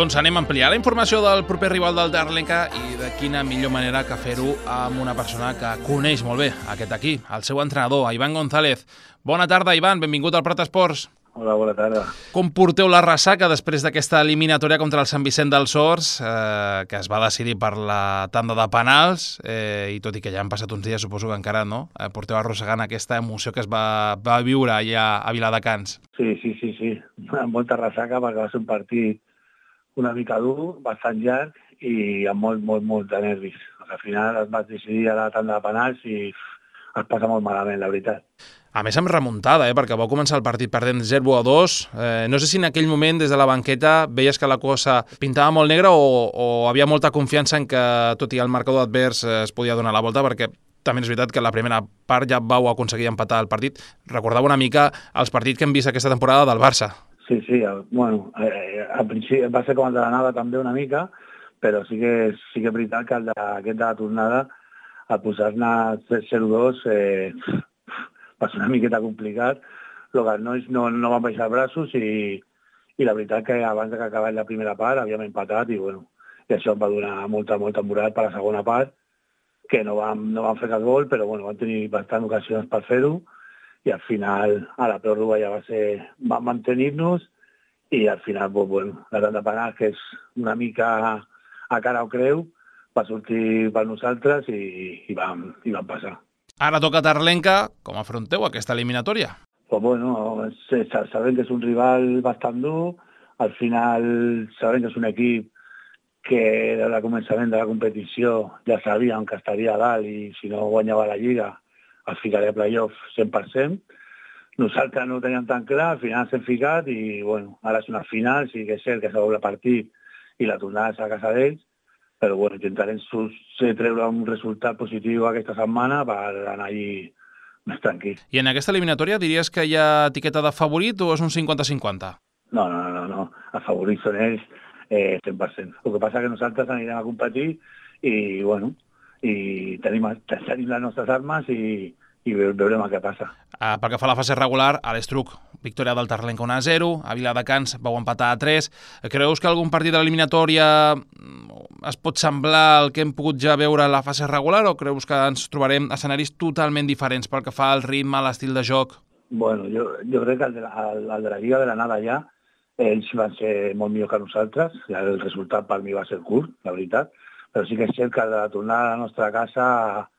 Doncs anem a ampliar la informació del proper rival del Darlenca i de quina millor manera que fer-ho amb una persona que coneix molt bé aquest equip, el seu entrenador, Ivan González. Bona tarda, Ivan, benvingut al Prat Esports. Hola, bona tarda. Com porteu la ressaca després d'aquesta eliminatòria contra el Sant Vicent dels Horts, que es va decidir per la tanda de penals, i tot i que ja han passat uns dies, suposo que encara no, porteu arrossegant aquesta emoció que es va viure allà a Viladecans. Sí. Amb molta ressaca perquè va ser un partit una mica dur, bastant llarg i amb molt de nervis. Al final es va decidir a la tanda de penals i es passa molt malament, la veritat. A més, amb remuntada, perquè vau començar el partit perdent 0-2. No sé si en aquell moment, des de la banqueta, veies que la cosa pintava molt negra o havia molta confiança en que, tot i el marcador advers, es podia donar la volta, perquè també és veritat que la primera part ja vau aconseguir empatar el partit. Recordava una mica els partits que hem vist aquesta temporada del Barça. Sí, bueno, al principi va ser com el de l'anada també una mica, però sí que és veritat que aquest de la tornada, al posar-ne 0-2, va ser una miqueta complicat. Els nois no van baixar els braços i la veritat que abans que acabés la primera part havíem empatat i això em va donar molta moral per la segona part, que no vam fer cap gol, però vam tenir bastant ocasions per fer-ho i al final a la pròrroga ja vam mantenir-nos i al final la tanda de penals, que és una mica a cara o creu, va sortir per nosaltres i vam passar. Ara toca Darlenca. Com afronteu aquesta eliminatòria? Sabem que és un rival bastant dur. Al final sabem que és un equip que des del començament de la competició ja sabíem que estaria a dalt i si no guanyava la Lliga es ficaria a playoff 100%. Nosaltres no ho teníem tan clar, al final s'hem ficat i ara és una final, sí que és cert que és el doble partit i la tornada és a casa d'ells, però intentarem treure un resultat positiu aquesta setmana per anar allí més tranquil. I en aquesta eliminatòria diries que hi ha etiqueta de favorit o és un 50-50? No. Els favorits són ells 100%. El que passa és que nosaltres anirem a competir i tenim les nostres armes i veurem què passa. Pel que fa a la fase regular, a l'Estruc, victòria del Darlenca 1-0, a Viladecans vau empatar a 3. Creus que algun partit de l'eliminatòria es pot semblar al que hem pogut ja veure en la fase regular o creus que ens trobarem escenaris totalment diferents pel que fa al ritme, a l'estil de joc? Jo crec que el de la Lliga de l'anada ja, ells van ser molt millor que nosaltres, el resultat per mi va ser curt, la veritat, però sí que és cert que de la tornada a la nostra casa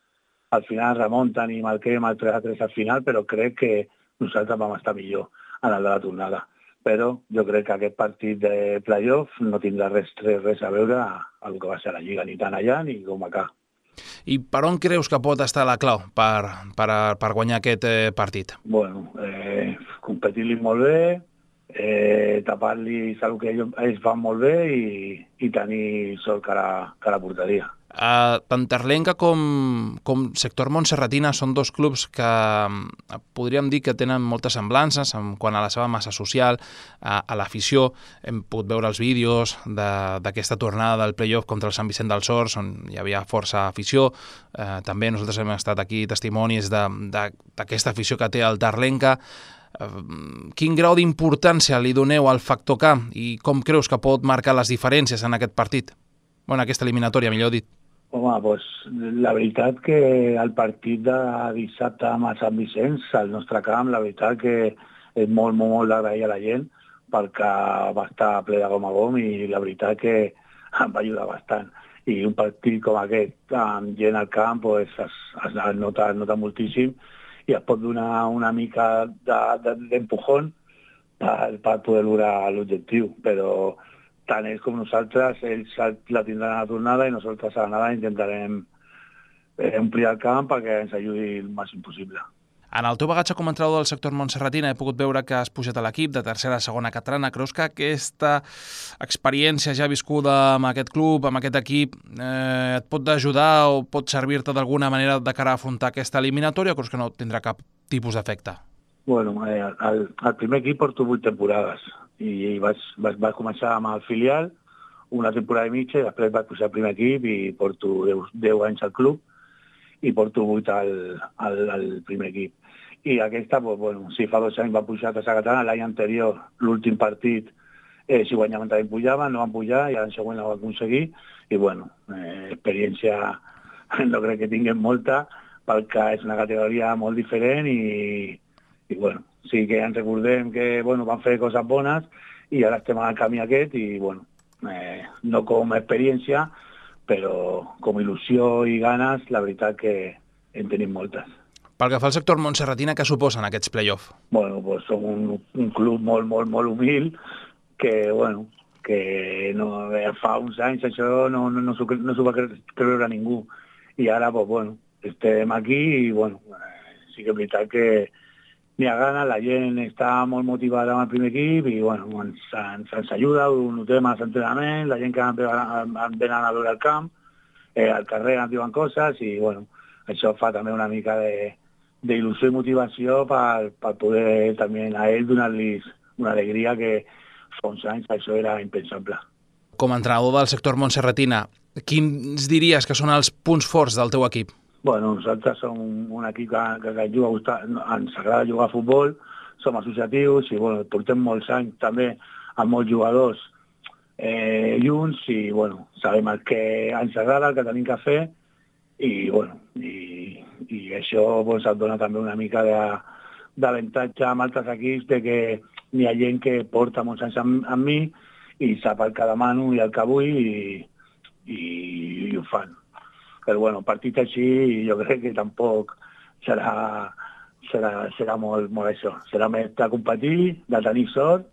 al final remunten i marquem el 3-3 al final, però crec que nosaltres vam estar millor en el de la tornada. Però jo crec que aquest partit de playoff no tindrà res a veure amb el que va ser la Lliga, ni tant allà ni com acá. I per on creus que pot estar la clau per guanyar aquest partit? Competir-li molt bé, tapar-li el que ells fan molt bé i tenir sort cara a la porteria. Tant Darlenca com Sector Montserratina són dos clubs que podríem dir que tenen moltes semblances en quant a la seva massa social, a l'afició. Hem pogut veure els vídeos d'aquesta tornada del playoff contra el Sant Vicent dels Horts, on hi havia força afició. També nosaltres hem estat aquí testimonis d'aquesta afició que té el Darlenca. Quin grau d'importància li doneu al factor camp i com creus que pot marcar les diferències en aquest partit? En aquesta eliminatòria, millor dit. La veritat que el partit de dissabte amb el Sant Vicenç, al nostre camp, la veritat que és molt d'agrair a la gent perquè va estar ple de gom a gom i la veritat que em va ajudar bastant. I un partit com aquest, amb gent al camp, es nota moltíssim i es pot donar una mica d'empujón per poder lograr l'objectiu, però tant ells com nosaltres, ells la tindran a la tornada i nosaltres a l'anada intentarem omplir el camp perquè ens ajudi el màxim possible. En el teu bagatge com a entrenador del Sector Montserratina he pogut veure que has pujat a l'equip de tercera a segona catalana. Creus que aquesta experiència ja viscuda amb aquest club, amb aquest equip, et pot ajudar o pot servir-te d'alguna manera de cara a afrontar aquesta eliminatòria o creus que no tindrà cap tipus d'efecte? Al primer equip porto 8 temporades i vaig començar amb el filial una temporada i mitja i després vaig pujar al primer equip i porto 10 anys al club i porto 8 al primer equip. I aquesta, fa 2 anys va pujar a tercera catalana, l'any anterior, l'últim partit si guanyaven també pujaven, no van pujar, i l'any següent la van aconseguir, i bueno, experiència no crec que tinguem molta, perquè és una categoria molt diferent i bueno, sí que ens recordem que bueno, van fer coses bones i ara estem al camí aquest i bueno, no com a experiència, però com il·lusió i ganes, la veritat que en tenim moltes. Pel que fa al sector montserratina, què suposen aquests play-off? Bueno, pues som un club molt humil que, bueno, que no, fa uns anys això no s'ho va creure ningú. I ara, pues, bueno, estem aquí i, bueno, sí que és veritat que n'hi ha gana, la gent està molt motivada amb el primer equip i, bueno, ens ajuda, ho notem als entrenaments, la gent que venen a veure el camp, al carrer ens diuen coses i, bueno, això fa també una mica d'il·lusió i motivació per poder també a ell donar-los una alegria que fa uns anys això era impensable. Com a entrenador del sector montserratina, quins diries que són els punts forts del teu equip? Bueno, nosaltres som un equip que juga, ens agrada jugar a futbol, som associatius i bueno, portem molts anys també amb molts jugadors junts i bueno, sabem el que ens agrada, el que tenim que fer i bueno, i això pues, et dona també una mica d'avantatge amb altres equips de que hi ha gent que porta molts anys amb mi i sap el que demano i el que vull i ho fan. Però bueno, partit així jo crec que tampoc serà molt això. Serà més de competir, de tenir sort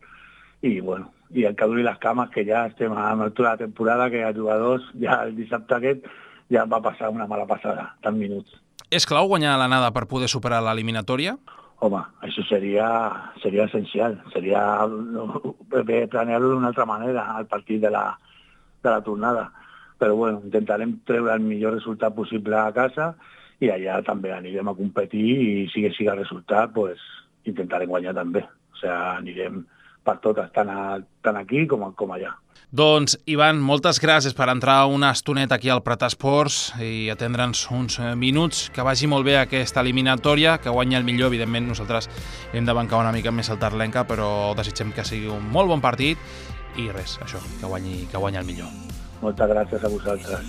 i bueno, i el que duri les cames que ja estem a l'altura de la temporada que els jugadors ja el dissabte aquest ja va passar una mala passada, tant minuts. És clau guanyar l'anada per poder superar l'eliminatòria? Home, això seria essencial. Seria planear-ho d'una altra manera, al partit de la tornada. Però bueno, intentarem treure el millor resultat possible a casa i allà també anirem a competir i si sigui el resultat, pues, intentarem guanyar també. O sigui, anirem per totes, tant aquí com allà. Doncs, Ivan, moltes gràcies per entrar una estoneta aquí al Prat Esports i atendre'ns uns minuts. Que vagi molt bé aquesta eliminatòria, que guanyi el millor. Evidentment, nosaltres hem de bancar una mica més el Tarlenca, però desitgem que sigui un molt bon partit i res, això, que guanyi el millor. Moltes gràcies a vosaltres.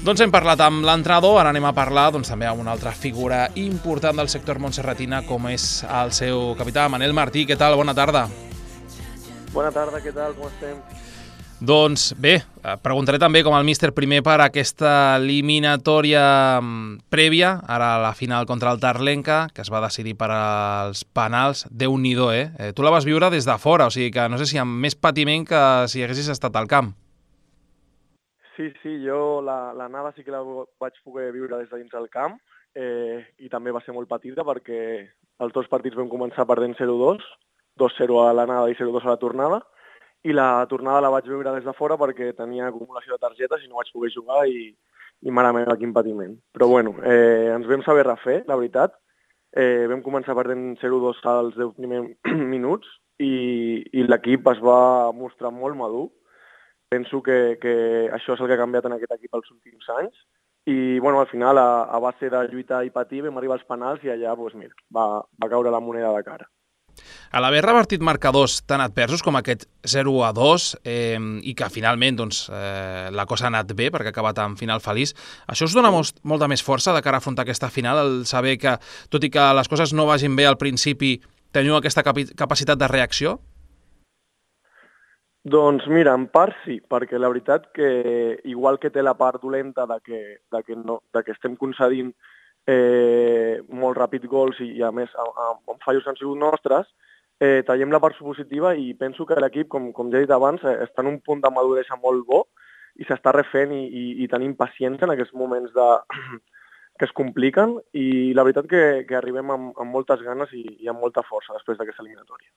Doncs hem parlat amb l'entrenador, ara anem a parlar també amb una altra figura important del sector montserratina com és el seu capità, Manel Martí. Què tal? Bona tarda. Bona tarda, què tal? Com estem? Doncs bé, preguntaré també com el míster primer per aquesta eliminatòria prèvia, ara a la final contra el Tarlenca, que es va decidir per als penals. Déu-n'hi-do, Tu la vas viure des de fora, o sigui que no sé si amb més patiment que si haguessis estat al camp. Sí, jo l'anada sí que la vaig poder viure des de dins del camp i també va ser molt petita perquè els dos partits vam començar perdent 0-2, 2-0 a l'anada i 0-2 a la tornada, i la tornada la vaig veure des de fora perquè tenia acumulació de targetes i no vaig poder jugar i mare meva, quin patiment. Però bueno, ens vam saber refer, la veritat. Vam començar perdent 0-2 als 10 primers minuts i l'equip es va mostrar molt madur. Penso que això és el que ha canviat en aquest equip els últims anys i bueno, al final, a base de lluitar i patir, vam arribar als penals i allà doncs, mira, va caure la moneda de cara. A l'haver revertit marcadors tan adversos com aquest 0-2 i que finalment la cosa ha anat bé perquè ha acabat amb final feliç, això us dona molta més força de cara a afrontar aquesta final, el saber que, tot i que les coses no vagin bé al principi, teniu aquesta capacitat de reacció? Doncs mira, en part sí, perquè la veritat que igual que té la part dolenta de que estem concedint molt ràpid gols i a més amb fallos han sigut nostres, tallem la part positiva i penso que l'equip, com ja he dit abans, està en un punt de maduresa molt bo i s'està refent i tenim paciència en aquests moments que es compliquen i la veritat que arribem amb moltes ganes i amb molta força després d'aquesta eliminatòria.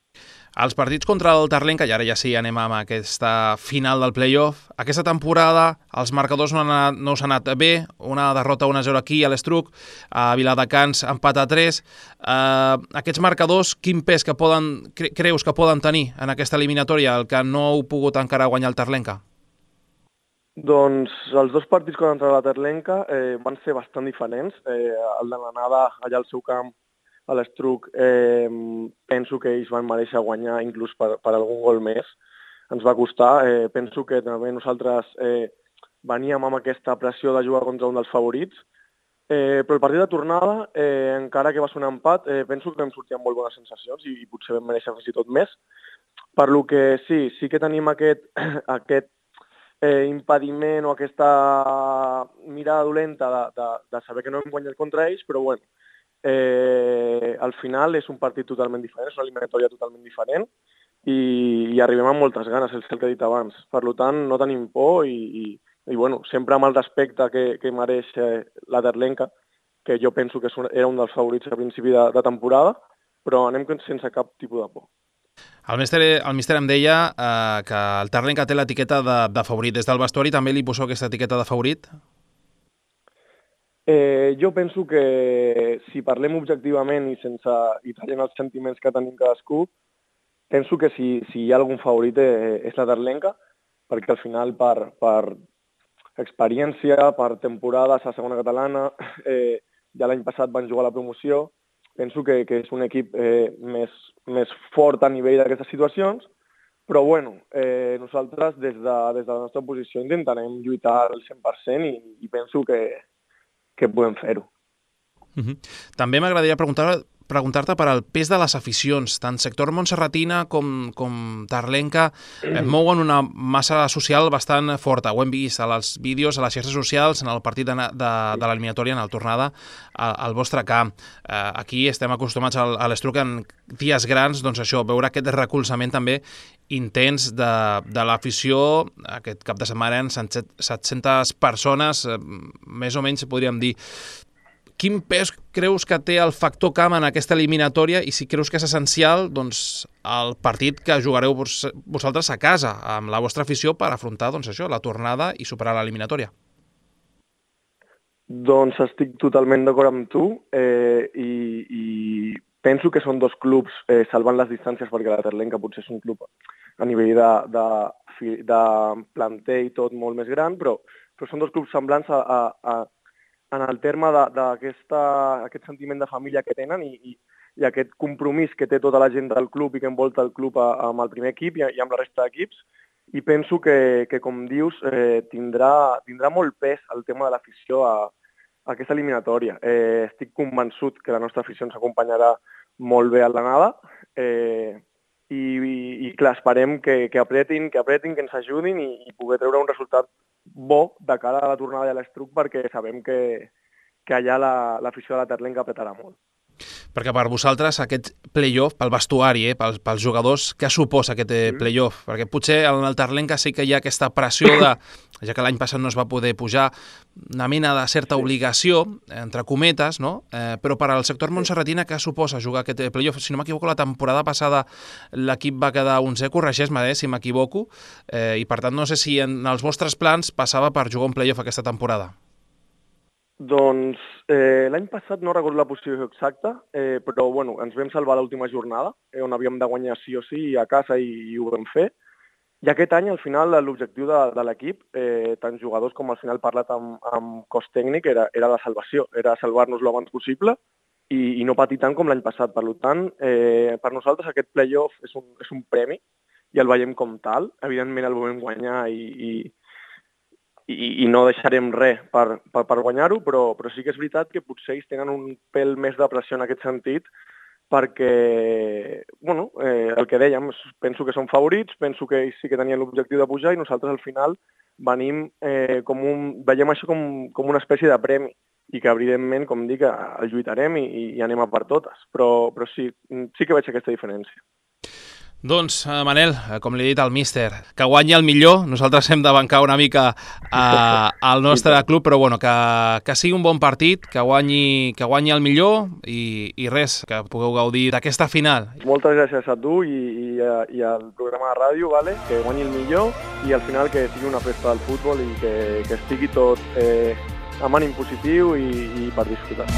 Els partits contra el Tarlenca, i ara ja sí anem amb aquesta final del play-off, aquesta temporada els marcadors no us han anat bé, una derrota 1-0 aquí a l'Estruc, a Viladecans empat a 3. Aquests marcadors, quin pes creus que poden tenir en aquesta eliminatòria, el que no heu pogut encara guanyar el Tarlenca? Doncs els dos partits contra la Terlenca van ser bastant diferents. El de l'anada allà al seu camp, a l'Estruc, penso que ells van mereixer guanyar inclús per algun gol més. Ens va costar. Penso que també nosaltres veníem amb aquesta pressió de jugar contra un dels favorits. Però el partit de tornada, encara que va ser un empat, penso que vam sortir amb molt bones sensacions i potser vam mereixer fins i tot més. Per lo que sí que tenim aquest impediment o aquesta mirada dolenta de saber que no hem guanyat contra ells, però bueno, al final és un partit totalment diferent, és una eliminatòria totalment diferent i arribem amb moltes ganes, és el que he dit abans. Per tant, no tenim por i bueno, sempre amb el respecte que mereix la Terlenca, que jo penso que era un dels favorits a principi de temporada, però anem sense cap tipus de por. El míster em deia que el Terlenca té l'etiqueta de favorit. Des del vestuari també li poseu aquesta etiqueta de favorit? Jo penso que si parlem objectivament i traient els sentiments que tenim cadascú, penso que si hi ha algun favorit és la Terlenca, perquè al final per experiència, per temporades a segona catalana, ja l'any passat van jugar a la promoció, penso que és un equip més fort a nivell d'aquestes situacions, però bueno, nosaltres des de la nostra posició intentarem lluitar al 100% i penso que podem fer-ho. També m'agradaria preguntar-te per al pes de les aficions. Tant sector montserratina com Terlenca mouen una massa social bastant forta. Ho hem vist als vídeos, a les xarxes socials, en el partit de l'eliminatòria, en la tornada al vostre camp. Aquí estem acostumats a l'Estruc en dies grans, doncs això, veure aquest recolzament també intens de l'afició. Aquest cap de setmana eren 700 persones, més o menys podríem dir. Quin pes creus que té el factor camp en aquesta eliminatòria i si creus que és essencial doncs, el partit que jugareu vosaltres a casa amb la vostra afició per afrontar doncs, això, la tornada i superar l'eliminatòria? Doncs estic totalment d'acord amb tu i penso que són dos clubs salvant les distàncies perquè la Terlenca potser és un club a nivell de planter i tot molt més gran, però són dos clubs semblants en el terme d'aquest sentiment de família que tenen i aquest compromís que té tota la gent del club i que envolta el club amb el primer equip i amb la resta d'equips. I penso que com dius, tindrà molt pes el tema de l'afició a aquesta eliminatòria. Estic convençut que la nostra afició ens acompanyarà molt bé a l'anada i clar, esperem que apretin, que ens ajudin i poder treure un resultat bo de cara a la tornada de l'Estruc perquè sabem que allà l'afició de la Terlenca apretarà molt. Perquè per vosaltres aquest play-off, pel vestuari, pels jugadors, què suposa aquest play-off? Perquè potser en el Terlenca sí que hi ha aquesta pressió de, ja que l'any passat no es va poder pujar, una mena de certa obligació, entre cometes, no? Però per al sector montserratina què suposa jugar aquest play-off? Si no m'equivoco, la temporada passada l'equip va quedar 11, corregeix-me si m'equivoco, i per tant no sé si en els vostres plans passava per jugar un play-off aquesta temporada. Doncs l'any passat no recordo la posició exacta, però bueno, ens vam salvar l'última jornada, on havíem de guanyar sí o sí a casa i ho vam fer. I aquest any, al final, l'objectiu de l'equip, tant jugadors com al final parlat amb cos tècnic, era la salvació, era salvar-nos l'abans possible i no patir tant com l'any passat. Per tant, per nosaltres aquest play-off és un premi i el veiem com tal. Evidentment el volem guanyar i no deixarem res per guanyar-ho, però sí que és veritat que potser ells tenen un pèl més de pressió en aquest sentit perquè, bueno, el que dèiem, penso que són favorits, penso que ells sí que tenien l'objectiu de pujar i nosaltres al final veiem això com una espècie de premi i que evidentment, com dic, el lluitarem i anem a per totes, però sí que veig aquesta diferència. Doncs, Manel, com li he dit al míster, que guanyi el millor. Nosaltres hem de bancar una mica al nostre club, però bueno, que sigui un bon partit, que guanyi el millor i res, que pugueu gaudir d'aquesta final. Moltes gràcies a tu i al programa de ràdio, vale? Que guanyi el millor i al final que sigui una festa del futbol i que estigui tot amb ànim positiu i per disfrutar.